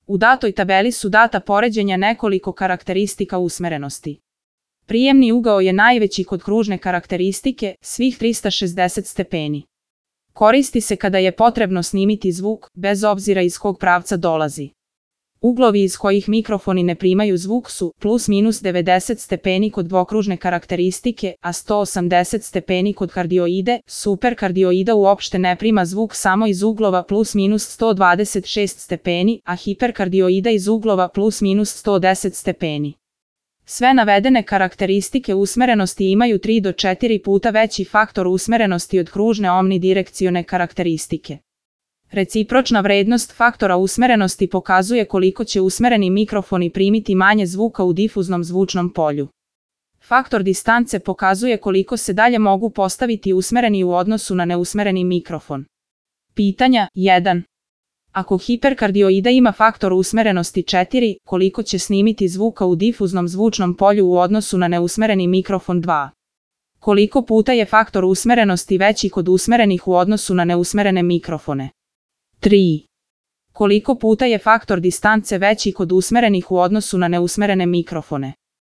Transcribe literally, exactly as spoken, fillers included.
U datoj tabeli su data poređenja nekoliko karakteristika usmerenosti. Prijemni ugao je najveći kod kružne karakteristike, svih trista šezdeset stepeni. Koristi se kada je potrebno snimiti zvuk, bez obzira iz kog pravca dolazi. Uglovi iz kojih mikrofoni ne primaju zvuk su plus minus devedeset stepeni kod dvokružne karakteristike, a sto osamdeset stepeni kod kardioide. Superkardioida uopšte ne prima zvuk samo iz uglova plus minus sto dvadeset šest stepeni, a hiperkardioida iz uglova plus minus sto deset stepeni. Sve navedene karakteristike usmerenosti imaju tri do četiri puta veći faktor usmerenosti od kružne omnidirekcione karakteristike. Recipročna vrednost faktora usmerenosti pokazuje koliko će usmereni mikrofoni primiti manje zvuka u difuznom zvučnom polju. Faktor distance pokazuje koliko se dalje mogu postaviti usmereni u odnosu na neusmereni mikrofon. Pitanja jedan. Ako hiperkardioida ima faktor usmerenosti četiri, koliko će snimiti zvuka u difuznom zvučnom polju u odnosu na neusmereni mikrofon dva? Koliko puta je faktor usmerenosti veći kod usmerenih u odnosu na neusmerene mikrofone? tri. Koliko puta je faktor distance veći kod usmerenih u odnosu na neusmerene mikrofone?